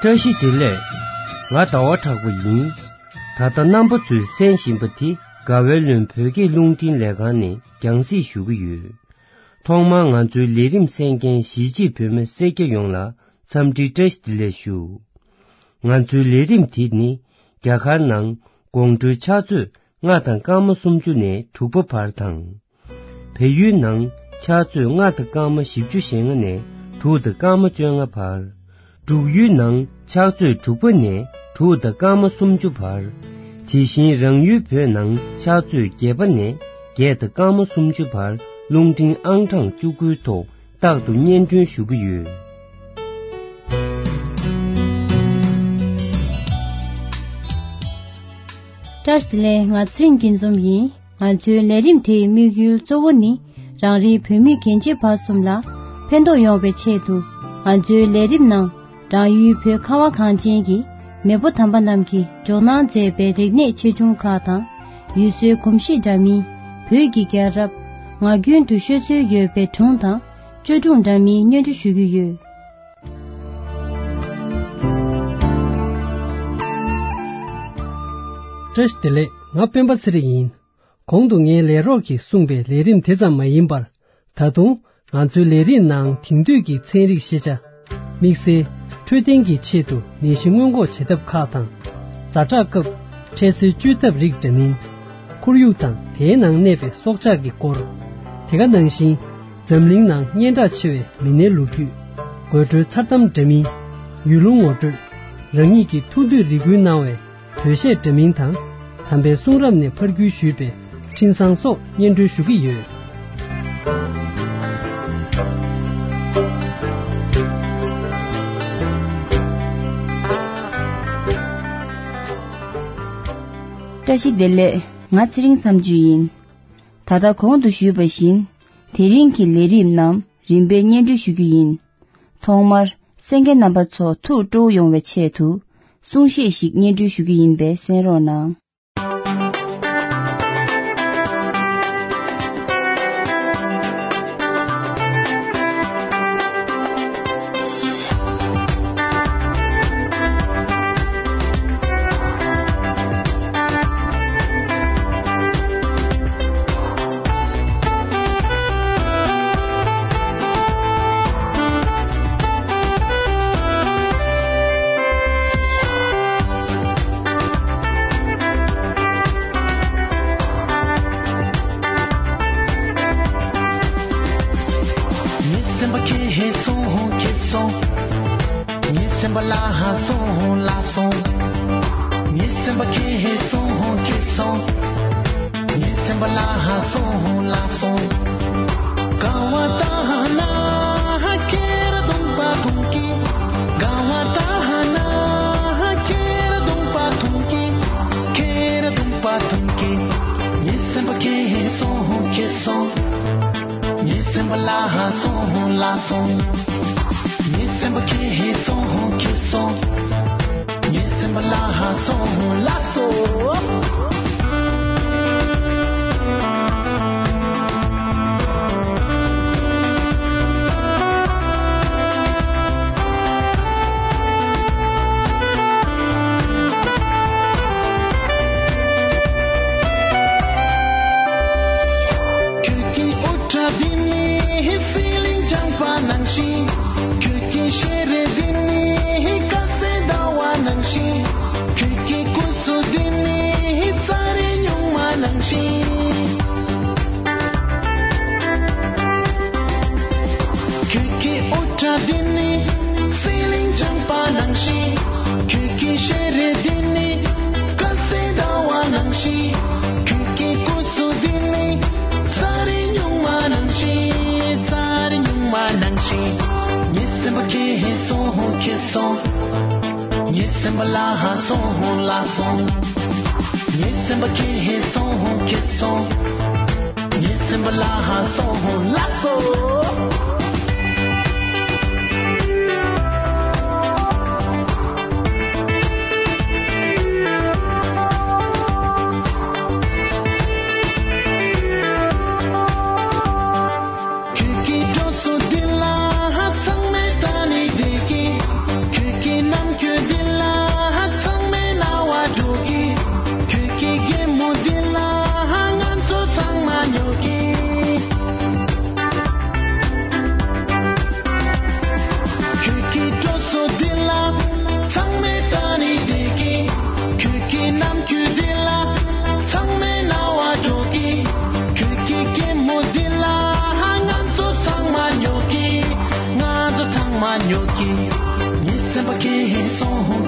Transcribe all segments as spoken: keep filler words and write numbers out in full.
བཀྲ་ཤིས་བདེ་ལེགས། ང་ཟླ་བ་གྲགས་པ་ཡིན། ད་ལྟ་རྣམ་པ་ཚོས་གསན་བཞིན་པ་དེ་དགའ་བའི་ལུང་བོད་སྐད་རླུང་འཕྲིན་ལས་ཁང་ནས་རྒྱང་སྲིང་ཞུ་གི་ཡོད། ཐོག་མར་ང་ཚོའི་ལས་རིམ་གསན་མཁན་གཞིས་བྱེས་བོད་མི་སེར་སྐྱ་ཡོངས་ལ་འཚམས་འདྲི་བཀྲ་ཤིས་བདེ་ལེགས་ཞུ། ང་ཚོའི་ལས་རིམ་དེ་ནི་རྒྱ་གར་ནང་དགོང་དྲོའི་ཕྱག་ཚོད་ལྔ་དང་སྐར་མ་སུམ་ཅུ་ནས་དྲུག་པ་བར་དང་། བལ་ཡུལ་ནང་ཕྱག་ཚོད་ལྔ་དང་སྐར་མ་བཞི་བཅུ་ཞེ་ལྔ་ནས་དྲུག་དང་སྐར་མ་བཅོ་ལྔ་བར། འབྲུག་ཡུལ་ནང་ཕྱག་ཚོད་དྲུག་པ་ནས་དྲུག་དང་སྐར་མ་སུམ་ཅུ་བར། དེ་བཞིན་རང་ཡུལ་བོད་ནང་ཕྱག་ཚོད་བརྒྱད་པ་ནས་བརྒྱད་དང་སྐར་མ་སུམ་ཅུ་བར་རླུང་འཕྲིན་ཨང་གྲངས་བཅུ་དགུའི་ཐོག་རྟག་ཏུ་སྙན་སྒྲོན་ཞུ་གི་ཡོད། བཀྲ་ཤིས་བདེ་ལེགས། ང་ཚེ་རིང་སྐྱིད་འཛོམས་ཡིན། ང་ཚོའི་ལས་རིམ་དེའི་དམིགས་ཡུལ་གཙོ་བོ་ནི་རང་རེའི་བོད་མི་རྒན་བྱིས་བར་གསུམ་ལ་ཕན་ཐོགས་ཡོང་བའི་ཆེད་དུ། ང་ཚོའི་ལས་རིམ་ནང་རང་ཡུལ་བོད་ཁ་བ་གངས་ཅན་གྱི་མེས་པོ་དམ་པ་རྣམས་ཀྱིས་འཇོག་གནང་མཛད་པའི་རིག་གནས་ཆེ་ཆུང་ཁག་དང་། ཡུལ་སྲོལ་གོམས་གཤིས་འདྲ་མིན། བོད་ཀྱི་རྒྱལ་རབས། ངག་རྒྱུན་དུ་ཤོད་སྲོལ་ཡོད་པའི་སྒྲུང་དང་བཅོས་སྒྲུང་འདྲ་མིན་སྙན་སྒྲོན་ཞུ་གི་ཡོད། བཀྲ་ཤིས་བདེ་ལེགས། ང་སྤེན་པ་ཚེ་རིང་ཡིན། གོང་དུ་ངའི་ལས་རོགས་ཀྱིས་གསུངས་པའི་ལས་རིམ་དེ་ཙམ་མ་ཡིན་པར། ད་དུང་ང་ཚོའི་ལས་རིམ་ནང་དེང་དུས་ཀྱི་ཚན་རིག་ཤེས་བྱ། དམིགས་བསལ་འཕྲོད་བསྟེན་གྱི་ཆེད་དུ་ནད་གཞི་སྔོན་འགོག་བྱེད་ཐབས་ཁག་དང་། ཛ་དྲག་སྐབས་འཕྲལ་སེལ་བཅོས་ཐབས་རིགས་འདྲ་མིན། ཁོར་ཡུག་དང་དེའི་ནང་གནས་པའི་སྲོག་ཆགས་ཀྱི་སྐོར། དེ་ག་ནང་བཞིན་འཛམ་གླིང་ནང་སྙན་གྲགས་ཆེ་བའི་མི་སྣའི་ལོ་རྒྱུས། དགོད་བྲོའི་མཚར་གཏམ་འདྲ་མིན། ཡུལ་ལུང་ངོ་སྤྲོད། རང་ཉིད་ཀྱི་ཐུགས་འདོད་རེ་སྐུལ་གནང་བའི་བོད་གཞས་འདྲ་མིན་དང་། དམ་པའི་གསུང་རབ་ནས་ཕར་བརྒྱུད་ཞུས་པའི་འཕྲིན་བཟང་སོགས་སྙན་སྒྲོན་ཞུ་གི་ཡོད། བཀྲ་ཤིས་བདེ་ལེགས། ང་ཚེ་རིང་མཚམས་གཅོད་ཡིན། ད་ལྟ་གོང་དུ་ཞུས་པ་བཞིན། དེ་རིང་གི་ལས་རིམ་རྣམས་རིམ་པས་སྙན་སྒྲོན་ཞུ་རྒྱུ་ཡིན། ཐོག་མར་གསན་མཁན་རྣམ་པ་ཚོ་ཐུགས་སྤྲོ་བོ་ཡོང་བའི་ཆེད་དུ་གསུང་བཤད་ཞིག་སྙན་སྒྲོན་ཞུ་རྒྱུ་ཡིན་པས་གསན་རོགས་གནང་། ངའི་སེམས་པ་ཁྱེད་ཧེ་སོང་ཁྱེད་སོང་། ངའི་སེམས་པ་ལ་ཧ་སོང་ལ་སོང་། ངའི་སེམས་པ་ཁྱེད་ཧེ་སོང་ཁྱེད་སོང་། ངའི་སེམས་པ་ལ་ཧ་སོང་ལ་སོང་། ག་བ་ད་ཧ་ན་ཧ་ཁྱེར་དུང་པ་དུང་གི། ག་བ་ད་ཧ་ན་ཧ་ཁྱེར་དུང་པ་དུང་གི། ཁྱེར་དུང་པ་དུང་གི། ངའི་སེམས་པ་ཁྱེད་ཧེ་སོང་ཁྱེད་སོང་། ངའི་སེམས་པ་ལ་ཧ་སོང་ལ་སོང་། ངའི་སེམས་པ་ཁྱེད་ཧེ་སོང་ཁྱེད་སོང་། ངའི་སེམས་པ་ལ་ཧ་སོང་ལ་སོང་། ཁྱོད་ཀྱི་འོ་ཁྲ་འདི་ནི་ཧི་སི་ལིང་ལྗང་པ་ནང་བཞིན། ཁྱོད་ཀྱི་ཤེས་རེ་འདི་ནི་ཧི་ཀ་སེ་ཟླ་བ་ནང་བཞིན། ཁྱོད་ཀྱི་སྐུ་གཟུགས་འདི་ནི་ཧི་རྩྭ་རི་སྨྱུག་མ་ནང་བཞིན། ཁྱོད་ཀྱི་འོ་ཁྲ་འདི་ནི་སི་ལིང་ལྗང་པ་ནང་བཞིན། ཁྱོད་ཀྱི་ཤེས་རེ་འདི་ནི་ཀ་སེ་ཟླ་བ་ནང་བཞིན། ཁྱོད་ཀྱི་སྐུ་གཟུགས་འདི་ནི་རྩྭ་རི་སྨྱུག་མ་ནང་བཞིན། རྩྭ་རི་སྨྱུག་མ་ནང་བཞིན། ངའི་སེམས་པ་ཁྱེད་ཧེ་སོང་ཁྱེད་སོང་། ངའི་སེམས་པ་ལ་ཧ་སོང་ལ་སོང་། ངའི་སེམས་པ་ཁྱེད་ཧེ་སོང་ཁྱེད་སོང་། ངའི་སེམས་པ་ལ་ཧ་སོང་ལ་སོང་། ཁྱོད་ཀྱི་འགྲོ་སོང་འདི་ལ་ཚང་མས་ད་ནི་བདེ་སྐྱིད། ཁྱོད་ཀྱི་ནམ་རྒྱུན།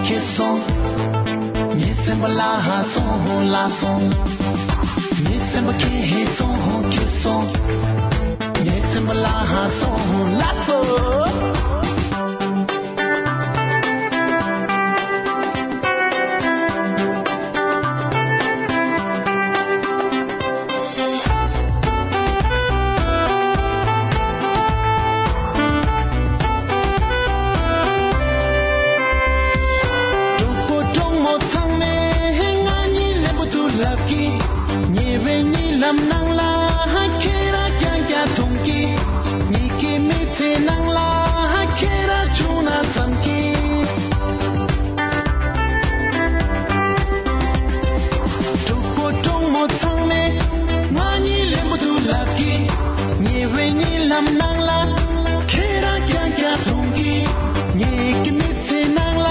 ཁྱེད་སོང་། ངའི་སེམས་པ་ལ་ཧ་སོང་ལ་སོང་། ངའི་སེམས་པ་ཁྱེད་ཧེ་སོང་ཁྱེད་སོང་། ངའི་སེམས་པ་ལ་ཧ་སོང་ལ་སོང་། གྲོགས་པོ་གྲོགས་མོ་ཚང་མས་ང་གཉིས་ལེན་པོ་འདུག་ལབ་ཀྱི། ཉེ་བའི་གཉིད་ལམ་ནང་ལ་ཁྱེད་རང་རྐྱང་རྐྱང་མཐོང་གི། ཉིད་ཀྱི་མི་ཚེ་ནང་ལ་ཁྱེད་རང་བྱུང་ན་བསམ་གི། གྲོགས་པོ་གྲོགས་མོ་ཚང་མས་ང་གཉིས་ལེན་པོ་འདུག་ལབ་ཀྱི། ཉེ་བའི་གཉིད་ལམ་ནང་ལ་ཁྱེད་རང་རྐྱང་རྐྱང་མཐོང་གི། ཉིད་ཀྱི་མི་ཚེ་ནང་ལ་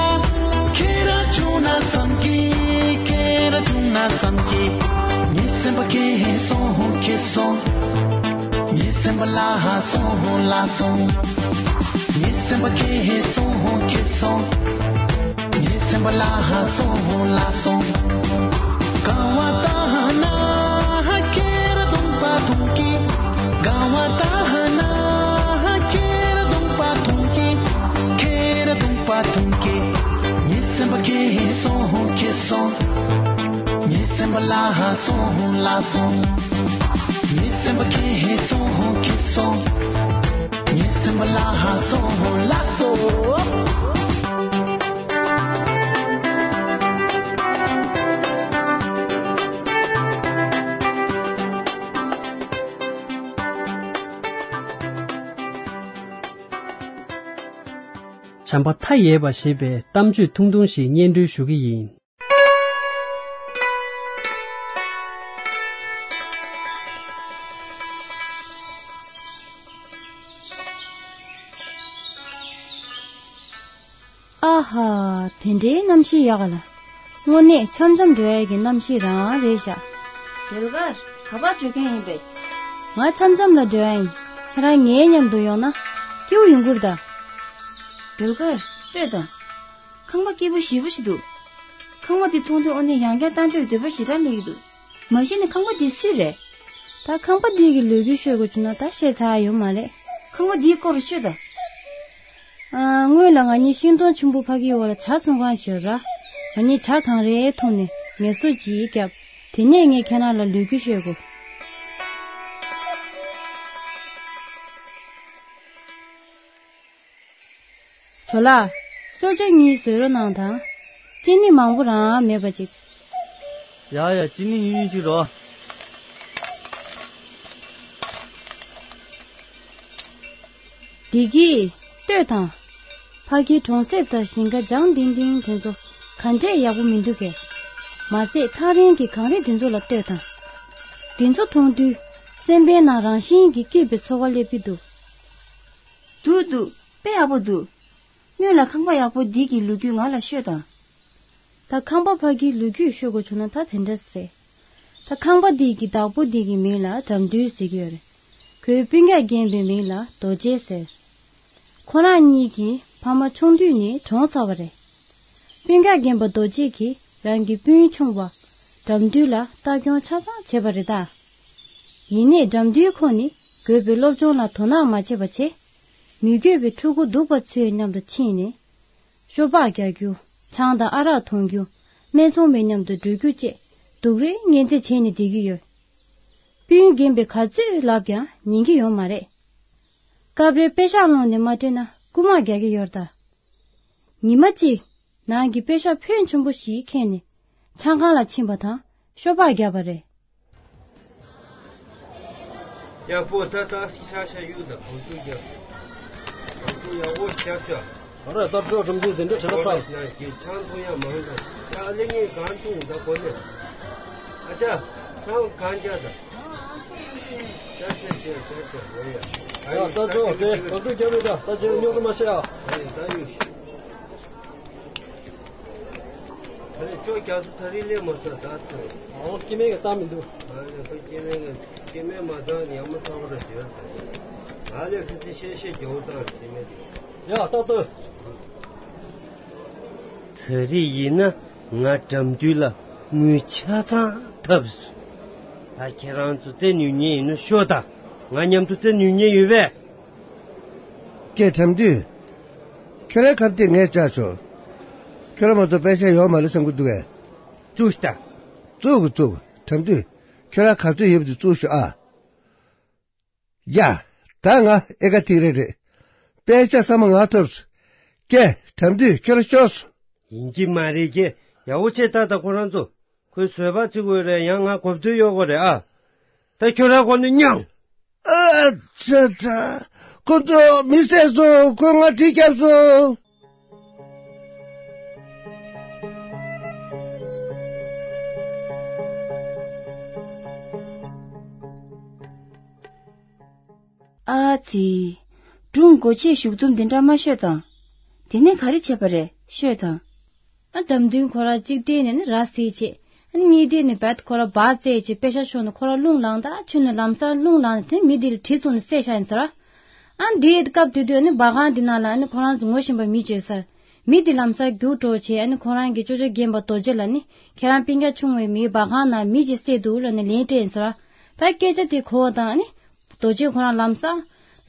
ཁྱེད་རང་བྱུང་ན་བསམ་གི། ཁྱེད་རང་བྱུང་ན་བསམ་གི། ངའི་སེམས་པ་ཁྱེད་ཧེ་སོང་ཁྱེད་སོང་། ངའི་སེམས་པ་ལ་ཧ་སོང་ལ་སོང་། ངའི་སེམས་པ་ཁྱེད་ཧེ་སོང་ཁྱེད་སོང་། ངའི་སེམས་པ་ལ་ཧ་སོང་ལ་སོང་། དགའ་བ་ལྟ་ཧ་ན་ཧ་ཁྱེད་ར་གདོང་པ་མཐོང་གི། དགའ་བ་ལྟ་ཧ་ན་ཧ་ཁྱེད་ར་གདོང་པ་མཐོང་གི། ཁྱེད་ར་གདོང་པ་མཐོང་གི། ངའི་སེམས་པ་ཁྱེད་ཧེ་སོང་ཁྱེད་སོང་། ངའི་སེམས་པ་ལ་ཧ་སོང་ལ་སོང་། ངའི་སེམས་པ་ཁྱེད་ཧེ་སོང་ཁྱེད་སོང་། ངའི་སེམས་པ་ལ་ཧ་སོང་ལ་སོང་། བྱམས་པ་མཐའ་ཡས་པ་ཞེས་པའི་གཏམ་བརྗོད་ཐུང་ཐུང་ཞིག་སྙན་སྒྲོན་ཞུ་གི་ཡིན། ཨ་ཧ། དེ་འདྲའི་གནམ་གཤིས་ཡག་ག་ལ། དངོས་གནས་འཆམ་འཆམ་འགྲོ་ཡ་གི་གནམ་གཤིས་རང་རེད་ཤག་སྒྲོལ་དཀར། ག་པར་འགྲོ་མཁན་ཡིན་པས། ང་འཆམ་འཆམ་ལ་འགྲོ་ཡ་ཡིན། ཁྱེད་རང་ངའི་མཉམ་དུ་ཡོང་ན་སྐྱིད་པོ་ཡོང་གི་རེད་ད། སྒྲོལ་དཀར། ལྟོས་དང་། ཁང་པ་སྐྱིད་པོ་ཞེ་པོ་ཞིག་འདུག་ཁང་པ་འདི་མཐོང་དུས་དངོས་གནས་ཡང་བསྐྱར་ལྟ་འདོད་འདོད་པ་ཞེ་དྲག་སླེབས་ཀྱི་འདུག་མ་གཞི་ནས་ཁང་པ་འདི་སུའི་རེད། ད་ཁང་པ་འདི་གི་ལོ་རྒྱུས་ཤོད་དགོས་བྱུང་ན་ད་བཤད་ཚར་ཡོད་མ་རེད། ཁང་པ་འདིའི་སྐོར་ཤོད་དང་། ཨ། སྔོན་ལ་ང་གཉིས་ཤིང་སྡོང་ཆེན་པོ་ཕ་གིའི་འོག་ལ་ཇ་ཚོང་ཁང་ཞིག་ཡོད་ར། ང་གཉིས་ཇ་གང་རེ་འཐུང་ནས་ངལ་གསོ་ཅིག་བརྒྱབ། དེ་ནས་ངས་ཁྱེད་རང་ལ་ལོ་རྒྱུས་ཤོད་དགོས། ཇོ་ལགས། གསོལ་ཇ་གཉིས་བཟོས་རོགས་གནང་དང་། ཅི་ནི་མང་པོ་རང་མེད་པ་ཅིག་ཡ་ཡ། ཅི་ནི་ཉུང་ཉུང་ཅིག་རོགས། བདེ་སྐྱིད། ལྟོས་དང་། ཕ་གིའི་གྲོང་གསེབ་དང་ཞིང་ཁ་ལྗང་ལྡིང་ལྡིང་དེ་ཚོ་ག་འདྲས་ཡག་པོ་མི་འདུག་གས། མ་ཟད་ཐག་རིང་གི་གངས་རི་དེ་ཚོ་ལ་ལྟོས་དང་། དེ་ཚོ་མཐོང་དུས་སེམས་པའི་ནང་རང་བཞིན་གྱིས་སྐྱིད་པའི་ཚོར་བ་སླེབས་ཀྱི་འདུག་འདུག་འདུག་དཔེ་ཡག་པོ་འདུག་སྔོན་ལ་ཁང་པ་ཡག་པོ་འདི་གི་ལོ་རྒྱུས་ང་ལ་ཤོད་དང་། ད་ཁང་པ་ཕ་གིའི་ལོ་རྒྱུས་ཤོད་དགོས་བྱུང་ན་ད་དེ་འདྲ་རེད། ད་ཁང་པ་འདི་གི་བདག་པོ་འདི་གི་མིང་ལ་དགྲ་འདུལ་ཟེར་གྱི་ཡོད་རེད། ཁོའི་སྤུན་ཀྱག་རྒན་པའི་མིང་ལ་རྡོ་རྗེ་ཟེར། ཁོ་རང་གཉིས་ཀྱི་ཕ་མ་ཆུང་དུས་ནས་གྲོངས་ཚར་བ་རེད། སྤུན་ཀྱག་རྒན་པ་རྡོ་རྗེ་གིས་རང་གི་སྤུན་ཆུང་བ་དགྲ་འདུལ་ལ་ལྟ་སྐྱོང་ཆ་ཚང་བྱས་པ་རེད་ད། ཡིན་ནའི་དགྲ་འདུལ་ཁོ་ནི་དགོས་པའི་སློབ་སྦྱོང་ལ་དོ་སྣང་མ་བྱས་པ་བྱས། མི་དགོས་པའི་ཕྲུ་གུ་སྡུག་པ་ཚོའི་མཉམ་དུ་ཕྱིན་ནས། ཤོ་སྦག་རྒྱག་རྒྱུ། ཆང་དང་ཨ་རག་འཐུང་རྒྱུ། སྨད་འཚོང་པའི་མཉམ་དུ་འགྲོ་རྒྱུ་བཅས་སྡུག་རུས་ངན་ཚད་བྱས་ནས་བསྡད་ཀྱི་ཡོད། སྤུན་རྒན་པས་ག་ཚོད་ལབ་ཀྱང་ཉན་གྱི་ཡོད་མ་རེད། སྐབས་རེ་པེ་ཤག་སློང་ནས་མ་སྤྲད་ན་རྐུ་མ་རྒྱག་གི་ཡོད་རེད་ད། ཉི་མ་གཅིག་ནང་གི་པེ་ཤག་ཕོན་ཆེན་པོ་ཞིག་ཁྱེར་ནས་ཆང་ཁང་ལ་ཕྱིན་པ་དང་ཤོ་སྦག་བརྒྱབ་པ་རེད། ཡག་པོ་ད་ཏག་ཏག་ཤག་ཤག་གཡུག་དང་གོང་ཚུགས་རྒྱབ། གོང་ཚུགས་ཡག་པོ་རྒྱབ་ཤག་ཨ་ར་སྟབས་ཆོག་སྒྲུང་འཛུགས་དེ་འདྲ་བྱེད་ན་ཕར། ཡང་གི་ཆང་འཐུང་ཡག་མང་དང་། ཡ་ཨ་ལེ་ངས་གང་འཐུང་ད་གོ་ནས། ཨ་ཅག་ཆང་གང་རྒྱག་དང་། ཤག་ཤག་ཤག་ཤག་ཤག་འོ་ཡ། ཡ་སྟབས་ཆོག་དེ་གོང་ཚུགས་རྒྱབ་ཡོད་ད། ད་ཅིག་རྙོག་དྲ་མ་བྱེད་ཨ། ཨ་ཡ་ད་ཡོད། ད་ནི་ཅོ་རྒྱ་མཚོ་ད་རིང་སླེབས་མ་སོང་ད་ཚོད། ཨོ་སྐྱེ་དམན་གྱི་རྟགས་མི་འདུག་ང་ལས་ཁོ་སྐྱེ་དམན་གྱི་སྐྱེ་དམན་མ་ཚང་ནི་ཡག་མོ་ཚང་བ་ར་བྱོས། ང་ལས་ཁོ་ཚོས་བཤད་བཤད་རྒྱག་བཏང་སྐྱེ་དམན་དེ། ཡ་ཏག་ཏག་ད་རེས་ཡིན་ན་ང་དགྲ་འདུལ་ལ་དངུལ་ཆ་ཚང་ཐབས་སུ། ད་ཁྱེད་རང་ཚོ་རྩེ་ནུས་ཉེན་ཡིན་ན་ཤོག་དང་། ང་མཉམ་དུ་རྩེ་ནུས་ཉེན་ཡོད་པས། ཀྱེ་དགྲ་འདུལ། ཁྱོད་རའི་ཁ་གཏད་ངས་བཅག་ཆོག་ཁྱོད་ར་མ་གཏོགས་པད་ཤག་ཡོད་མ་རེད་བསམ་གྱི་འདུག་གས། བཙུགས་ཤིག་དང་། བཙུགས་དགོས་བཙུགས་དགོས། དགྲ་འདུལ། ཁྱོད་ར་ག་ཚོད་ཡོད་པ་དེ་བཙུགས་ཤོག་ཨ། ཡ། ད་ང་ཨེ་ཀ་ཐིག་རེ་རེད། པད་ཤག་ས་མ་ང་ཐོབ་སོང་། ཀྱེ་དགྲ་འདུལ་ཁྱོད་ར་ཤོག་སོང་། ཡིན་གྱི་མ་རེད་ཀྱེ། ཡག་པོ་བྱས་ད་ད་ཁོ་རང་ཚོ། ཁོས་བཟོད་པ་བརྩི་དགོས་རེད། ཡང་ང་གོ་བསྡུར་གཡོག་དགོས་རེད་ཨ། ད་ཁྱོད་ར་ཁོ་ནི་མྱང་། ཨ་ཙ་ཙ། ཁོ་ཚོ་མི་བསད་སོང་། ཁོས་ང་གྲི་བརྒྱབ་སོང་། ཨ་ཙི། སྒྲུང་མགོ་ཆེ་གཞུག་དུམ་འདི་འདྲ་མ་ཤོད་དང་། དེ་ནས་ག་རེ་བྱས་པ་རེད་ཤོད་དང་། ཨ་དགྲ་འདུལ་ཁོ་ར་གཅིག་བལྟས་ནས་ནི་ར་བཟི་བྱས། ཨ་གཉིས་བལྟས་ནས་བད་ཁོ་ར་བ་བཙལ་བྱས་པད་ཤག་ཕྱོགས་ནས་ཁོ་ར་རླུང་ལངས་ད་ཆུ་ནས་ལམ་སང་རླུང་ལངས་ནས་དེ་མི་དེ་ལ་གྲི་བཙུགས་ནས་བསད་བཞག་ཡིན་ཟེར་བ། ཨ་འདིའི་སྐབས་དེ་དུས་ཨ་ནི་སྦ་ཁང་འདི་ནང་ལ་ཨ་ནི་ཁོ་རང་ཚོ་ངོ་ཤེས་པ་མི་བྱོས་ཟེར། མི་དེ་ལམ་སང་རྒྱུགས་འགྲོ་བྱས་ཨ་ནི་ཁོ་རང་གི་ཅོ་ཅོ་རྒན་པ་རྡོ་རྗེ་ལ་ནི་ཁྱེད་རང་སྤུན་ཀྱག་ཆུང་བའི་མིའི་སྦ་ཁང་ནང་མི་ཅིག་བསད་འདུག་ལབ་ནས་ལན་སྤྲད་ཡིན་ཟེར་བ། ད་སྐད་ཆ་དེ་གོ་བ་དང་ཨ་ནི། རྡོ་རྗེ་ཁོ་རང་ལམ་སང་།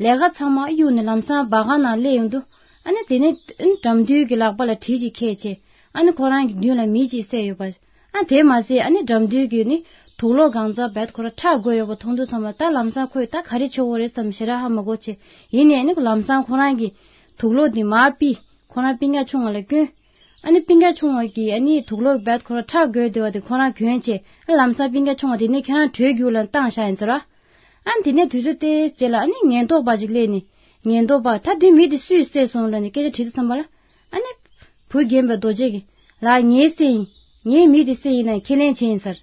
ལས་ཀ་ཚང་མ་གཡུགས་ནས་ལམ་སང་སྦ་ཁང་ནང་སླེབས་ཡོང་དུས། ཨ་ནི་དེ་ནས་ཨ་ནི་དགྲ་འདུལ་གྱི་ལག་པ་ལ་གྲི་ཅིག་འཁྱེར་བྱས། ཨ་ནི་ཁོ་རང་གི་མདུན་ལ་མི་ཅིག་བསད་ཡོད་པ། ཨ་དེ་མ་ཟད་ཨ་ནི་དགྲ་འདུལ་གྱི་ནི་དུག་ལོག་གང་ཚང་བད་ཁོ་ར་ཁྲག་བགོས་ཡོད་པ་མཐོང་དུས་ཙམ་ལ་ད་ལམ་སང་ཁོས་ད་ག་རེ་བྱེད་དགོས་རེད་བསམ་ཞེ་དྲག་ཧ་མ་གོ་བྱས། ཡིན་ནའི་ཨ་ནི་ལམ་སང་ཁོ་རང་གི་དུག་ལོག་དེ་མར་ཕུད། ཁོ་རང་སྤུན་ཀྱག་ཆུང་བ་ལ་བསྐྱོན། ཨ་ནི་སྤུན་ཀྱག་ཆུང་བ་གིས་ཨ་ནི་དུག་ལོག་བད་ཁོ་ར་ཁྲག་བགོས་བསྡད་པ་དེ་ཁོ་རང་གྱོན་བྱས། ཨ་ལམ་སང་སྤུན་ཀྱག་ཆུང་བ་དེ་ནས་ཁྱེད་རང་བྲོས་རྒྱུགས་ལ་བཏང་བཞག་ཡིན་ཟེར་བ། ཨ་ནི་དེ་ནས་དུས་ཚོད་དེའི་རྗེས་ལ་ཨ་ནི་ཉེན་རྟོག་པ་ཅིག་སླེབས་ནས། ཉེན་རྟོག་པ་ད་དེ་མི་དེ་སུས་བསད་སོང་ལབ་ནས་སྐད་ཆ་དྲིས་དུས་ཙམ་པ་ལ། ཨ་ནི། བུ་རྒན་པ་རྡོ་རྗེ་གིས། ལགས་ངས་བསད་ཡིན། ངས་མི་དེ་བསད་ཡིན་ན་ཁས་ལེན་བྱས་ཡིན་ཟེར།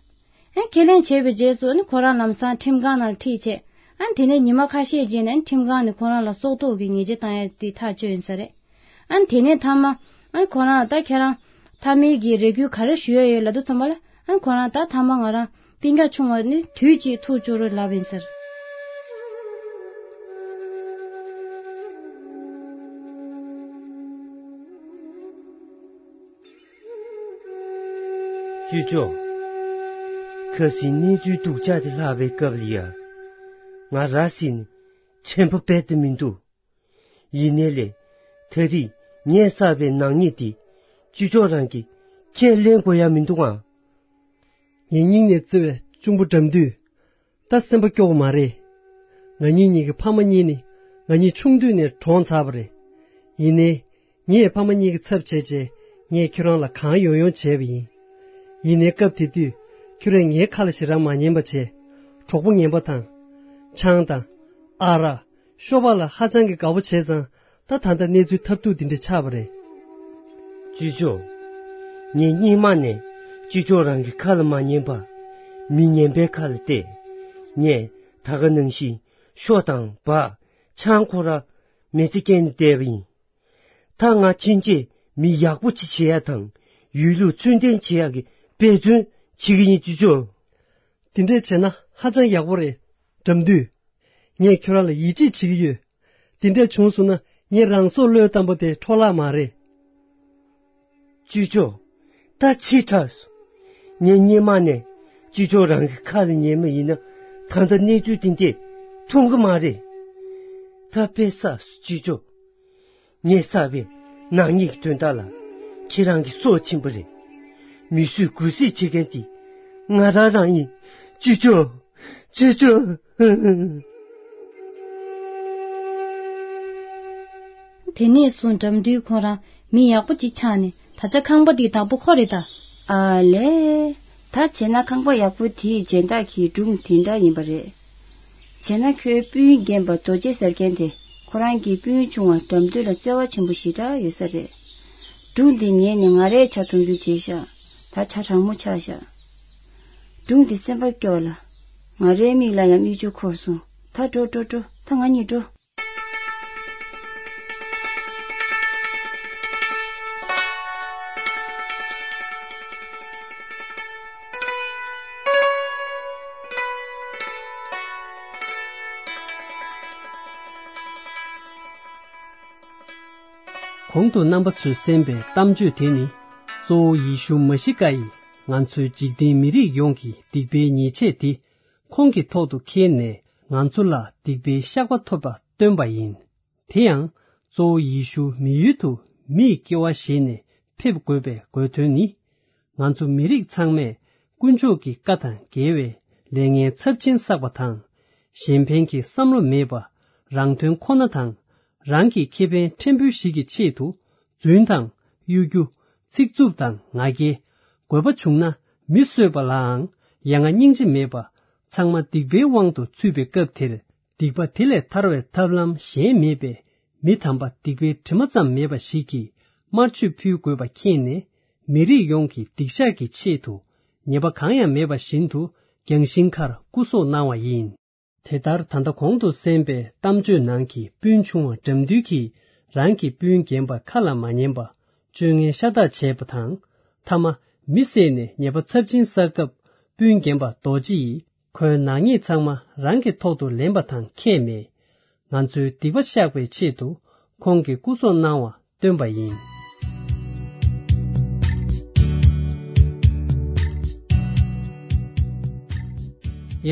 ཨ་ཁས་ལེན་བྱས་པའི་རྗེས་སུ་ཨ་ནི་ཁོ་རང་ལམ་སང་ཁྲིམས་ཁང་ནང་ལ་ཁྲིད་བྱས། ཨ་ནི་དེ་ནས་ཉི་མ་ཁ་ཤས་རྗེས་ནས་ཨ་ནི་ཁྲིམས་ཁང་ནས་ཁོ་རང་ལ་སྲོག་ཐོག་གི་ཉེས་ཆད་བཏང་ཡ་དེ་ཐག་གཅོད་ཡིན་ས་རེད། ཨ་ནི་དེ་ནས་མཐའ་མ། ཨ་ནི་ཁོ་རང་ལ་ད་ཁྱེད་རང་། མཐའ་མའི་གི་རེ་སྐུལ་ག་རེ་ཞུ་ཡ་ཡོད་ལབ་དུས་ཙམ་པ་ལ། ཨ་ནི་ཁོ་རང་ད་མཐའ་མ་ང་རང་སྤུན་ཀྱག་ཆུང་བ་ནི་དུས་གཅིག་ཐུག་བཅུག་རོགས་ལབ་ཡིན་ཟེར། ཅོ་ཅོ། ཁ་སང་གནས་ཚུལ་སྡུག་ཅག་དེ་ལྷག་པའི་སྐབས་ལ་ཡ། ང་ར་བཟི་ནས་དྲན་པ་རྦད་དེ་མི་འདུག་ཡིན་ནའི་ལས། ད་རེས་ངས་བསགས་པའི་ནག་ཉེས་དེ། ཅོ་ཅོ་རང་གིས་ཁས་ལེན་དགོས་ཡ་མི་འདུག་ཨང་། ངའི་སྙིང་ནས་བརྩེ་བའི་གཅུང་པོ་དགྲ་འདུལ། ད་སེམས་པ་སྐྱོ་བ་མ་རེད། ང་གཉིས་གཉིས་ཀྱི་ཕ་མ་གཉིས་ནི་ང་གཉིས་ཆུང་དུས་ནས་གྲོངས་ཚར་བ་རེད། ཡིན་ནའི། ངས་ཕ་མ་གཉིས་ཀྱི་ཚབ་བྱས་བྱས་ངས་ཁྱོད་རང་ལ་གང་ཡོང་ཡོང་བྱས་པ་ཡིན། ཡིན་ནའི་སྐབས་དེ་དུས་ཁྱོད་རས་ངའི་ཁ་ལ་ཞེ་དྲག་མ་ཉན་པ་བྱས། གྲོགས་པོ་ངན་པ་དང་། ཆང་དང་། ཨ་རག་ཤོ་པ་ལ་ཧ་ཅང་གི་དགའ་པོ་བྱས་ཙང་ད་ད་ལྟ་གནས་ཚུལ་ཐབས་སྡུག་འདི་འདྲ་ཆགས་པ་རེད། ཅོ་ཅོ། ངས་སྔོན་མ་ནས་ཅོ་ཅོ་རང་གི་ཁ་ལ་མ་ཉན་པ། མི་ངན་པའི་ཁ་ལ་གཏད། ངས་ད་ག་ནང་བཞིན་ཤོ་དང་སྦ། ཆང་ཁོ་ར་མི་ཚེ་སྐྱེལ་ནས་བསྡད་པ་ཡིན། ད་ང་ཕྱིན་ཆད་མི་ཡག་པོ་ཅིག་བྱེད་ཡ་དང་། ཡུལ་ལུགས་ཚུལ་ལྡན་བྱེད་ཡ་གི་འབད་བརྩོན་བྱེད་ཀྱི་ཡིན་ཅོ་ཅོ། དེ་འདྲས་བྱས་ན་ཧ་ཅང་ཡག་པོ་རེད། དགྲ་འདུལ། ངས་ཁྱོད་རང་ལ་ཡིད་ཆེས་བྱེད་ཀྱི་ཡོད། དེ་འདྲས་བྱུང་སོང་ན་ངས་རང་སྲོག་བློས་བཏང་པ་དེ་འཕྲོ་བརླག་མ་རེད། ཅོ་ཅོ། ད་ཕྱི་དྲགས་སོང་། ངས་སྔོན་མ་ནས་ཅོ་ཅོ་རང་གི་ཁ་ལ་ཉན་པ་ཡིན་ན་ད་ལྟ་གནས་ཚུལ་དེ་འདྲས་མཐོང་གི་མ་རེད། ད་དཔེ་བསགས་སོང་ཅོ་ཅོ། ངས་བསགས་པའི་ནག་ཉེས་ཀྱི་དོན་དག་ལ་ཁྱེད་རང་གི་སྲོག་ཕྱིན་པ་རེད། མི་གསོད་དགུ་གསོད་བྱེད་མཁན་དེ་ང་རང་རང་ཡིན། ཅོ་ཅོ། ཅོ་ཅོ། དེ་ནས་བཟུང་དགྲ་འདུལ་ཁོ་རང་མི་ཡག་པོ་ཅིག་ཆགས་ནས་ད་ཆ་ཁང་པ་འདིའི་བདག་པོ་ཁོ་རེད་ད། ཨ་ལས། ད་བྱས་ན་ཁང་པ་ཡག་པོ་དེའི་སྦྱིན་བདག་གི་སྒྲུང་དེ་འདྲ་ཡིན་པ་རེད། བྱས་ན་ཁོའི་སྤུན་རྒན་པ་རྡོ་རྗེ་ཟེར་མཁན་དེ་ཁོ་རང་གི་སྤུན་ཆུང་བ་དགྲ་འདུལ་ལ་བརྩེ་བ་ཆེན་པོ་ཞེ་དྲག་ཡོད་ས་རེད། སྒྲུང་འདི་ཉན་ནས་ང་རའི་ཆ་མཐོང་རྒྱུ་བྱས་ཤག་ད་ཆ་གྲང་མོ་ཆགས་ཤག་སྒྲུང་འདི་སེམས་པ་སྐྱོ་ལ། ང་རའི་མིག་ལ་ཡང་མིག་ཆུ་འཁོར་སོང་། ད་འགྲོ་འགྲོ་འགྲོ། ད་ང་གཉིས་འགྲོ། གོང་དུ་རྣམ་པ་ཚོས་གསན་པའི་གཏམ་བརྗོད་དེ་ནི། གཙོ་བོ་ཡེ་ཤུ་མ་ཤི་ཀ་ཡིས་ང་ཚོའི་འཇིག་རྟེན་མི་རིགས་ཡོངས་ཀྱི་སྡིག་པའི་ཉེས་ཆད་དེ་ཁོང་གི་ཐོག་ཏུ་འཁྱེར་ནས། ང་ཚོ་ལ་སྡིག་པའི་བཤགས་པ་ཐོབ་པ་སྟོན་པ་ཡིན། དེ་ཡང་གཙོ་བོ་ཡེ་ཤུ་མི་ཡུལ་དུ་མིའི་སྐྱེ་བ་བཞེས་ནས་ཕེབས་དགོས་པའི་དགོས་དོན་ནི། ང་ཚོ་མི་རིགས་ཚང་མས་དཀོན་མཆོག་གི་བཀའ་དང་འགལ་བའི་ལས་ངན་ཚབས་ཆེན་བསགས་པ་དང་། གཞན་ཕན་གྱི་བསམ་བློ་མེད་པ། རང་དོན་ཁོ་ན་དང་། རང་གི་ཁེ་ཕན་ཕྲན་བུ་ཞིག་གི་ཆེད་དུ་རྫུན་དང་གཡོ་སྒྱུ། ཚིག་རྩུབ་དང་ང་རྒྱལ། དགོས་པ་བྱུང་ན་མི་གསོད་པ་ལའང་ཡ་ང་སྙིང་རྗེ་མེད་པ། ཚང་མ་སྡིག་པའི་དབང་དུ་ཚུད་པའི་སྐབས་དེར། སྡིག་པ་དེ་ལས་ཐར་བའི་ཐབས་ལམ་གཞན་མེད་པས། མི་དམ་པ་སྡིག་པའི་དྲི་མ་ཙམ་མེད་པ་ཞིག་གིས་དམར་མཆོད་ཕུལ་དགོས་པ་མཁྱེན་ནས། མི་རིགས་ཡོངས་ཀྱི་སྡིག་བཤགས་ཀྱི་ཆེད་དུ་ཉེས་པ་གང་ཡང་མེད་པ་བཞིན་དུ་རྒྱང་ཤིང་ཁར་སྐུ་སྲོག་གནང་བ་ཡིན། དེ་ལྟར་ད་ལྟ་གོང་དུ་གསན་པའི་གཏམ་བརྗོད་ནང་གི་སྤུན་ཆུང་བ་དགྲ་འདུལ་གྱིས་རང་གི་སྤུན་རྒན་པ་ཁ་ལ་མ་ཉན་པ། སྤྱོད་ངན་ཤ་སྟག་བྱས་པ་དང་། མཐའ་མ་མི་བསད་ནས་ཉེས་པ་ཚབས་ཆེན་བསགས་སྐབས། སྤུན་རྒན་པ་རྡོ་རྗེ་ཡིས་ཁོའི་ནག་ཉེས་ཚང་མ་རང་གི་ཐོག་ཏུ་ལེན་པ་དང་ཁྱད་མེད། ང་ཚོའི་སྡིག་པ་བཤགས་པའི་ཆེད་དུ་ཁོང་གིས་སྐུ་སྲོག་གནང་བ་སྟོན་པ་ཡིན།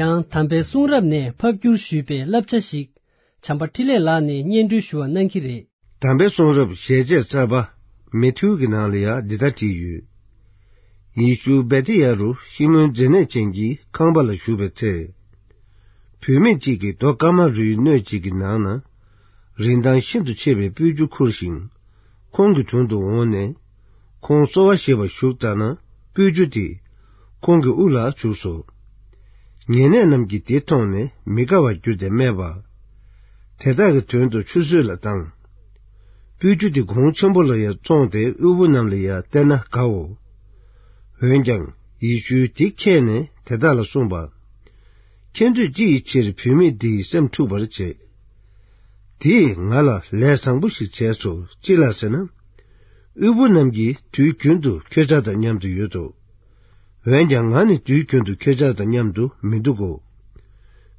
ཡང་དམ་པའི་གསུང་རབ་ནས་ཕབ་བསྒྱུར་ཞུས་པའི་བསླབ་བྱ་ཞིག་བྱམས་པ་འཕྲིན་ལས་ལགས་ནས་སྙན་སྒྲོན་ཞུ་བ་གནང་གི་རེད། དམ་པའི་གསུང་རབ་ཞལ་ཆད་གསར་པ་མེ་ཐིའུ་གི་ནང་ལ་ཡང་འདི་ལྟར་བྲིས་ཡོད། ཡེ་ཤུ་བེ་ཐི་ཡ་རུ་ཤི་མོན་མཛེ་ནད་ཅན་གྱི་ཁང་པ་ལ་བཞུགས་པའི་ཚེ། བུད་མེད་ཅིག་གིས་རྡོ་སྐར་མ་རུའི་སྣོད་ཅིག་གི་ནང་ན་རིན་ཐང་ཤིན་ཏུ་ཆེ་བའི་སྤོས་ཆུ་ཁུར་ཞིང་ཁོང་གི་དྲུང་དུ་འོངས་ནས། ཁོང་གསོལ་བ་བཞེས་པར་བཞུགས་ཙ་ན་སྤོས་ཆུ་དེ་ཁོང་གི་དབུ་ལ་བྱུགས་སོ། ཉེ་གནས་རྣམས་ཀྱིས་དེ་མཐོང་ནས་མི་དགའ་བར་གྱུར་ཏེ་སྨྲས་པ། དེ་དག་གི་དོན་དུ་ཆུད་ཟོས་ལ་བཏང་། སྤོས་ཆུ་དེ་གོང་ཆེན་པོ་ལ་ཡང་བཙོངས་ཏེ་དབུལ་པོ་རྣམས་ལ་ཡང་སྟེར་ན་དགའོ། འོན་ཀྱང་ཡེ་ཤུས་དེ་མཁྱེན་ནས་དེ་དག་ལ་གསུངས་པ། ཁྱེད་ཚོས་ཅི་ཡི་ཕྱིར་བུད་མེད་འདི་ཡི་སེམས་འཁྲུགས་པར་བྱེད། དེས་ང་ལ་ལས་བཟང་པོ་ཞིག་བྱས་སོ། ཅི་ལ་ཟེར་ན། དབུལ་པོ་རྣམས་ཀྱིས་དུས་རྒྱུན་དུ་ཁྱེད་ཅག་དང་མཉམ་དུ་ཡོད་དོ། འོན་ཀྱང་ང་ནི་དུས་རྒྱུན་དུ་ཁྱེད་ཅག་དང་མཉམ་དུ་མི་འདུག་གོ།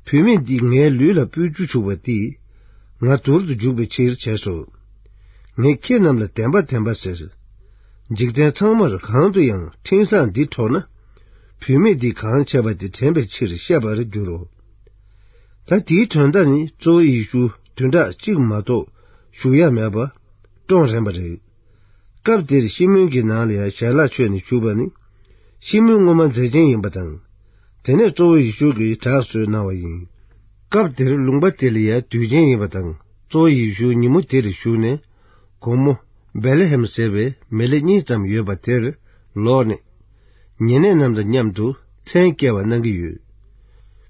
བུད་མེད་འདིས་ངའི་ལུས་ལ་སྤོས་ཆུ་བྱུགས་པ་འདིས་ང་དུར་དུ་འཇུག་པའི་ཕྱིར་བྱས་སོ། ངས་ཁྱེད་རྣམས་ལ་བདེན་པ་བདེན་པ་ཟེར། འཇིག་རྟེན་ཚང་མར་གང་དུ་ཡང་འཕྲིན་བཟང་འདི་འཕྲོག་ན། བུད་མེད་འདིས་གང་བྱས་པ་དེ་དྲན་པའི་ཕྱིར་བཤད་པར་འགྱུར་རོ། ད་དེའི་དོན་དག་ནི་གཙོ་བོ་ཡེ་ཤུ་བདུན་ཕྲག་གཅིག་མ་གཏོགས་བཞུགས་ཡ་མེད་པ་བཀྲོངས་རན་པ་རེད། སྐབས་དེར་ཤི་མོན་གྱི་ནང་ལ་ཡང་ཞལ་ལག་མཆོད་ནས་བཞུགས་པ་ནི། ཤི་མོན་སྔོན་མ་མཛེ་ཅན་ཡིན་པ་དང་། དེ་ནས་གཙོ་བོ་ཡེ་ཤུ་གིས་དྲག་གསོལ་གནང་བ་ཡིན། སྐབས་དེར་ལུང་པ་དེ་ལ་ཡང་དུས་ཆེན་ཡིན་པ་དང་། གཙོ་བོ་ཡེ་ཤུ་ཉིན་མོ་དེར་བཞུགས་ནས། དགོང་མོ་བེ་ལེ་ཧེམ་ཟེར་བའི་མེ་ལེ་གཉིས་ཙམ་ཡོད་པ་དེར་ལོག་ནས། ཉེ་གནས་རྣམས་དང་མཉམ་དུ་མཚན་བསྐྱལ་བ་གནང་གི་ཡོད།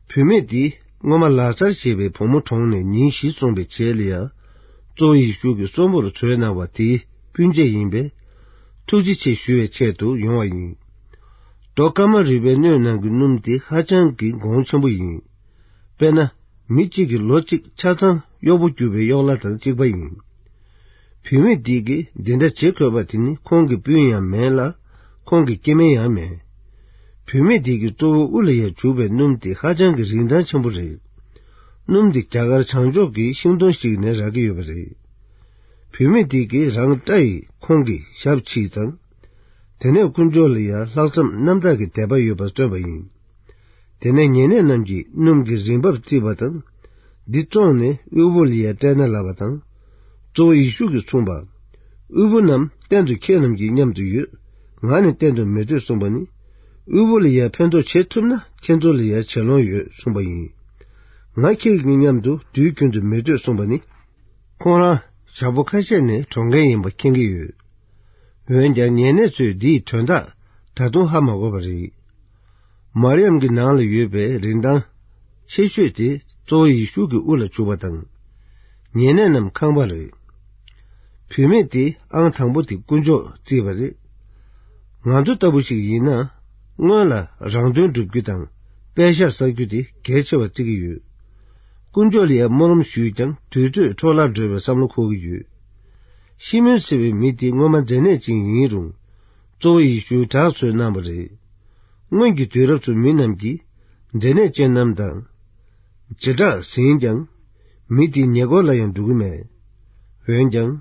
བུད་མེད་འདིས་སྔོན་མ་ལཱ་ཙར་ཞེས་པའི་བུ་མོ་གྲོངས་ནས་ཉིན་བཞི་སོང་བའི་རྗེས་ལ་ཡང་། གཙོ་བོ་ཡེ་ཤུ་གིས་གསོན་པོར་གསོལ་གནང་བ་དེའི་སྤུན་མཆེད་ཡིན་པས། ཐུགས་རྗེ་ཆེ་ཞུ་བའི་ཆེད་དུ་ཡོང་བ་ཡིན། རྡོ་སྐར་མ་རུས་པའི་སྣོད་ནང་གི་སྣུམ་དེ་ཧ་ཅང་གི་གོང་ཆེན་པོ་ཡིན། དཔེར་ན། མི་གཅིག་གི་ལོ་གཅིག་ཆ་ཚང་གཡོག་པོ་རྒྱུག་པའི་གཡོག་ལྷ་དང་གཅིག་པ་ཡིན། བུད་མེད་འདིས་ཀྱིས་འདི་འདྲ་བྱེད་དགོས་པ་དེ་ནི་ཁོང་གི་སྤུན་ཡང་མིན་ལ། ཁོང་གི་སྐྱེ་དམན་ཡང་མིན། བུད་མེད་འདིས་ཀྱིས་གཙོ་བོ་དབུ་ལ་ཡང་བྱུག་པའི་སྣུམ་དེ་ཧ་ཅང་གི་རིན་ཐང་ཆེན་པོ་རེད། སྣུམ་དེ་རྒྱ་གར་བྱང་ཕྱོགས་ཀྱི་ཤིང་སྡོང་ཞིག་ནས་རག་གི་ཡོད་པ་རེད། བུད་མེད་འདིས་ཀྱིས་རང་སྐྲ་ཡིས་ཁོང་གི་ཞབས་ཕྱིས་དང་། དེ་ནས་དཀོན་མཆོག་ལ་ཡང་ལྷག་བསམ་རྣམ་དག་གི་དད་པ་ཡོད་པར་སྟོན་པ་ཡིན། དེ་ནས་ཉེ་གནས་རྣམས་ཀྱིས་སྣུམ་གྱི་རིན་འབབ་བརྩིས་པ་དང་། འདི་བཙོངས་ནས་དབུལ་པོ་ལ་ཡང་སྤྲད་ན་ལབ་པ་དང་། གཙོ་བོ་ཡེ་ཤུ་གིས་གསུངས་པ། དབུལ་པོ་རྣམས་གཏན་དུ་ཁྱེད་རྣམས་ཀྱི་མཉམ་དུ་ཡོད། ང་ནི་གཏན་དུ་མི་སྡོད་གསུངས་པ་ནི། དབུལ་པོ་ལ་ཡང་ཕན་ཐོགས་བྱེད་ཐུབ་ན་ཁྱེད་ཚོ་ལ་ཡང་བྱེད་ལོང་ཡོད་གསུངས་པ་ཡིན། ང་ཁྱེད་ཀྱི་མཉམ་དུ་དུས་རྒྱུན་དུ་མི་སྡོད་གསུངས་པ་ནི། ཁོང་རང་ཞག་པོ་ཁ་ཤས་ནས་གྲོངས་མཁན་ཡིན་པ་མཁྱེན་གྱི་ཡོད། འོན་ཀྱང་ཉེ་གནས་ཚོས་འདིའི་དོན་དག་ད་དུང་ཧ་མ་གོ་བ་རེད། མར་ཡམ་གྱི་ནང་ལ་ཡོད་པའི་རིན་ཐང་ཆེ་ཤོས་དེ་གཙོ་བོ་ཡེ་ཤུ་གི་དབུ་ལ་བྱུག་པ་དང་། ཉེ་གནས་རྣམས་ཁང་པ་རེད། བུད་མེད་དེ་ཨང་དང་པོ་དེ་དཀོན་མཆོག་བརྩིས་པ་རེད། ང་ཚོ་ལྟ་བུ་ཞིག་ཡིན་ན། སྔོན་ལ་རང་དོན་སྒྲུབ་རྒྱུ་དང་དཔེ་ཤག་བསགས་རྒྱུ་དེ་གལ་ཆེ་བར་བརྩི་གི་ཡོད། དཀོན་མཆོག་ལ་ཡང་སྨོན་ལམ་ཞུས་ཀྱང་དུས་ཚོད་འཕྲོ་བརླག་འགྲོ་བའི་བསམ་བློ་འཁོར་གྱི་ཡོད། ཤི་མོན་ཟེར་བའི་མི་དེ་སྔོན་མ་མཛེ་ནད་ཅན་ཡིན་རུང་། གཙོ་བོ་ཡེ་ཤུའི་དྲག་གསོལ་གནང་བ་རེད། སྔོན་གྱི་དུས་རབས་སུ་མི་རྣམས་ཀྱིས་མཛེ་ནད་ཅན་རྣམས་དང་། བྱེ་བྲག་ཟིན་ཀྱང་། མི་དེའི་ཉེ་འཁོར་ལ་ཡང་འགྲོ་གི་མེད། འོན་ཀྱང་།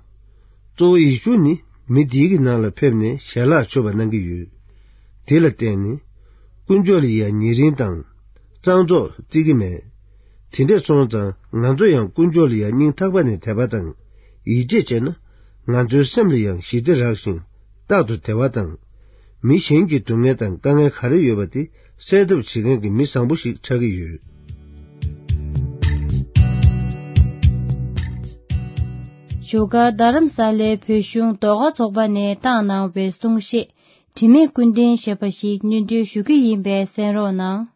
གཙོ་བོ་ཡེ་ཤུ་ནི། མི་དེའི་གི་ནང་ལ་ཕེབས་ནས་ཞལ་ལག་མཆོད་པ་གནང་གི་ཡོད། དེ་ལ་བརྟེན་ནས་དཀོན་མཆོག་ལ་ཡང་ཉེ་རིང་དང་གཙང་བཙོག་བརྩི་གི་མེད། དེ་འདྲས་སོང་ཙང་ང་ཚོ་ཡང་དཀོན་མཆོག་ལ་ཡང་སྙིང་ཐག་པ་ནས་དད་པ་དང་ཡིད་ཆེས་བྱས་ན། ང་ཚོའི་སེམས་ལ་ཡང་ཞི་བདེ་རག་ཞིང་རྟག་ཏུ་བདེ་བ་དང་། མི་གཞན་གྱི་སྡུག་བསྔལ་དང་དཀའ་ངལ་ག་རེ་ཡོད་པ་དེ་སེལ་ཐབས་བྱེད་མཁན་གྱི་མི་བཟང་པོ་ཞིག་ཆགས་ཀྱི་ཡོད། བཞུགས་སྒར་རྡ་རམ་ས་ལའི་བོད་གཞུང་ཟློས་གར་ཚོགས་པ་ནས་བཏང་གནང་བའི་གསུང་བཤད། དྲི་མེད་ཀུན་ལྡན་ཞེས་པ་ཞིག་སྙན་སྒྲོན་ཞུ་རྒྱུ་ཡིན་པས་གསན་རོགས་གནང་།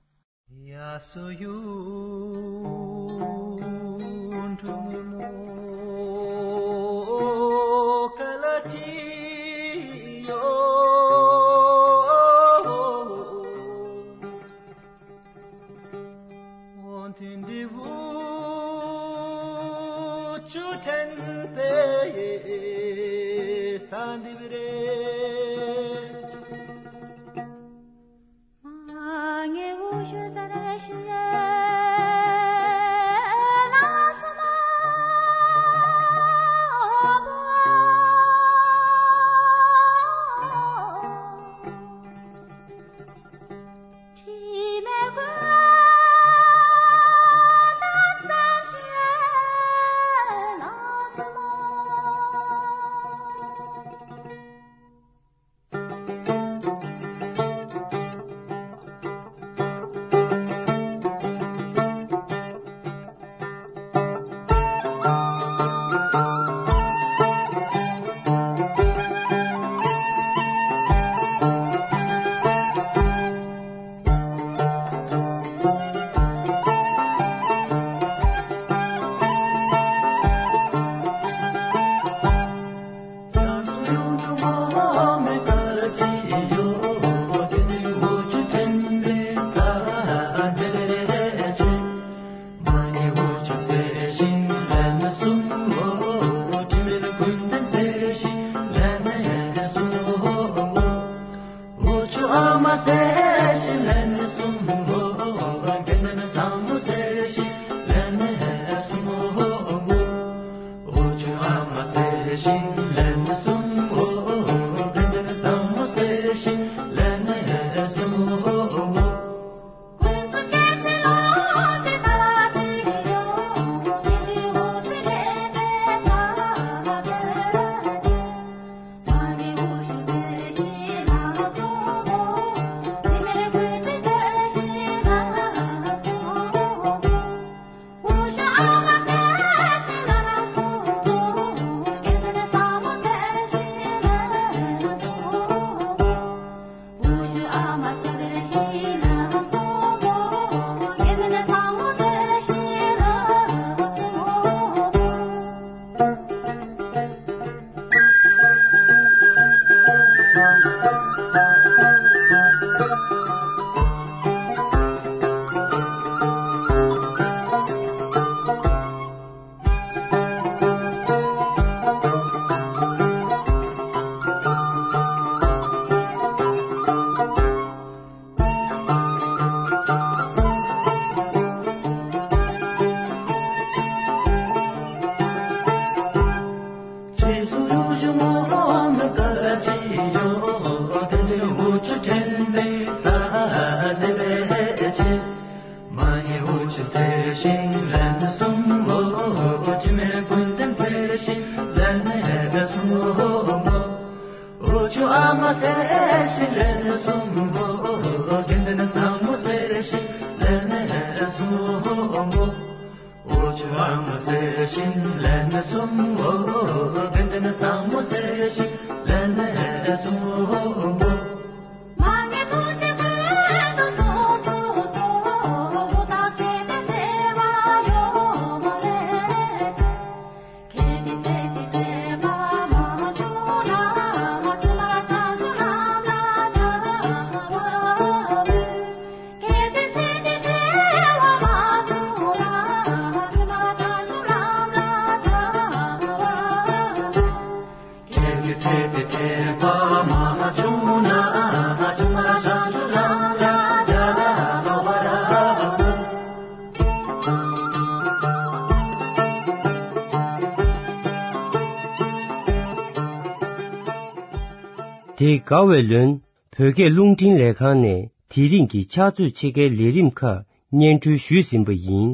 དེ་དགའ་བའི་ལོན་བོད་སྐད་རླུང་འཕྲིན་ལས་ཁང་ནས་དེ་རིང་གི་ཕྱག་ཚོད་ཕྱེད་ཀའི་ལས་རིམ་ཁག་སྙན་སྒྲོན་ཞུས་ཟིན་པ་ཡིན།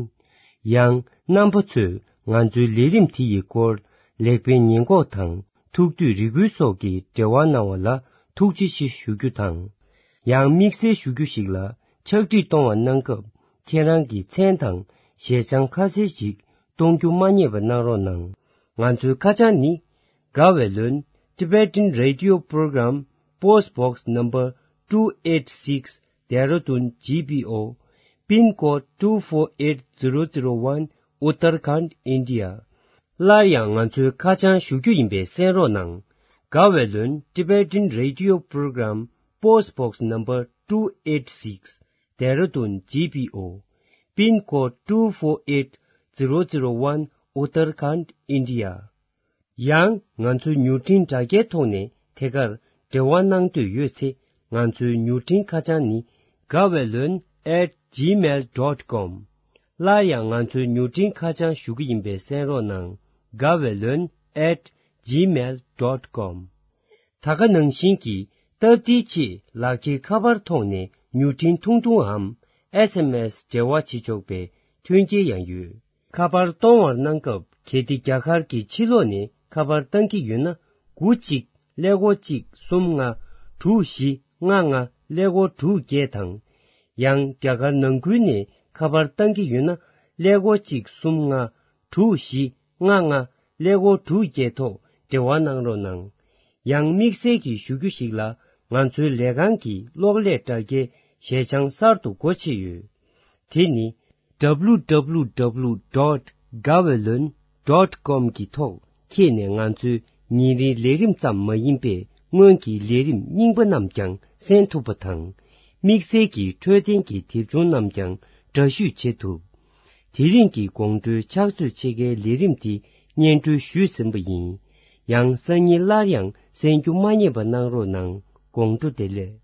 ཡང་རྣམ་པ་ཚོས་ང་ཚོའི་ལས་རིམ་དེ་ཡི་སྐོར་ལེགས་སྤེལ་ཉེས་འགོག་དང་ཐུགས་འདོད་རེ་སྐུལ་སོགས་ཀྱི་འབྲེལ་བ་གནང་བ་ལ་ཐུགས་རྗེ་ཆེ་ཞུ་རྒྱུ་དང་། ཡང་དམིགས་བསལ་ཞུ་རྒྱུ་ཞིག་ལ་ཕྱག་བྲིས་གཏོང་བ་གནང་སྐབས་ཁྱེད་རང་གི་མཚན་དང་ཞལ་བྱང་ཁ་གསལ་ཞིག་གཏོང་རྒྱུ་མ་བསྙེལ་བ་གནང་རོགས་གནང་། ང་ཚོའི་ཁ་བྱང་ནི། དགའ་བའི་ལོན། Tibetan Radio Program, Post Box Number two eight six, Dehradun G P O, Pin Code two four eight zero zero one, Uttarakhand, India. སླར་ཡང་ང་ཚོའི་ཁ་བྱང་ཞུ་རྒྱུ་ཡིན་པས་གསན་རོགས་གནང་། དགའ་བའི་ལོན། Tibetan Radio Program, Post Box Number two eight six, Dehradun G P O, Pin Code two four eight zero zero one, Uttarakhand, India. ཡང་ང་ཚོའི་མྱུར་འཕྲིན་དྲ་རྒྱའི་ཐོག་ནས་ཐད་ཀར་འབྲེལ་བ་གནང་འདོད་ཡོད་ཚེ་ང་ཚོའི་མྱུར་འཕྲིན་ཁ་བྱང་ནི། དགའ་བའི་ལོན་at gmail dot com. སླར་ཡང་ང་ཚོའི་མྱུར་འཕྲིན་ཁ་བྱང་ཞུ་གི་ཡིན་པས་གསན་རོགས་གནང་། དགའ་བའི་ལོན་at gmail dot com. ད་ག་ནང་བཞིན་གྱི་སྟབས་བདེའི་ཆེད་ལག་འཁྱེར་ཁ་པར་ཐོག་ནས་མྱུར་འཕྲིན་ཐུང་ཐུང་འམ་S M S འབྲེལ་བ་བྱེད་ཆོག་པའི་མཐུན་རྐྱེན་ཡང་ཡོད། ཁ་པར་གཏོང་བར་གནང་སྐབས་གལ་ཏེ་རྒྱ་གར་གྱི་ཕྱི་ལོགས་ནས་ཁ་པར་བཏང་གི་ཡོད་ན། དགུ་གཅིག་ཀླད་ཀོར་གཅིག་གསུམ་ལྔ་དྲུག་བཞི་ལྔ་ལྔ་ཀླད་ཀོར་དྲུག་བརྒྱད་དང་། ཡང་རྒྱ་གར་ནང་ཁུལ་ནས་ཁ་པར་བཏང་གི་ཡོད་ན། ཀླད་ཀོར་གཅིག་གསུམ་ལྔ་དྲུག་བཞི་ལྔ་ལྔ་ཀླད་ཀོར་དྲུག་བརྒྱད་ཐོག་འབྲེལ་བ་གནང་རོགས་གནང་། ཡང་དམིགས་བསལ་གྱི་ཞུ་རྒྱུ་ཞིག་ལ། ང་ཚོའི་ལས་ཁང་གི་གློག་ཀླད་དྲ་རྒྱའི་ཞལ་བྱང་གསར་དུ་སྒོ་ཕྱེ་ཡོད། དེ་ནི། W W W dot gawaylon dot com གི་ཐོག་འཁྱེར་ནས་ང་ཚོའི་ཉིན་རེའི་ལས་རིམ་ཙམ་མ་ཡིན་པའི་སྔོན་གྱི་ལས་རིམ་རྙིང་པ་རྣམས་ཀྱང་གསན་ཐུབ་པ་དང་། དམིགས་བསལ་གྱི་འཕྲོད་བསྟེན་གྱི་དེབ་ཆུང་རྣམས་ཀྱང་འདྲ་བཤུས་བྱེད་ཐུབ། དེ་རིང་གི་དགོང་དྲོའི་ཕྱག་ཚོད་ཕྱེད་ཀའི་ལས་རིམ་འདི་སྙན་སྒྲོན་ཞུས་ཟིན་པ་ཡིན། ཡང་སང་ཉིན་སླར་ཡང་གསན་རྒྱུ་མ་བསྙེལ་བ་གནང་རོགས་གནང་། དགོང་དྲོ་བདེ་ལེགས།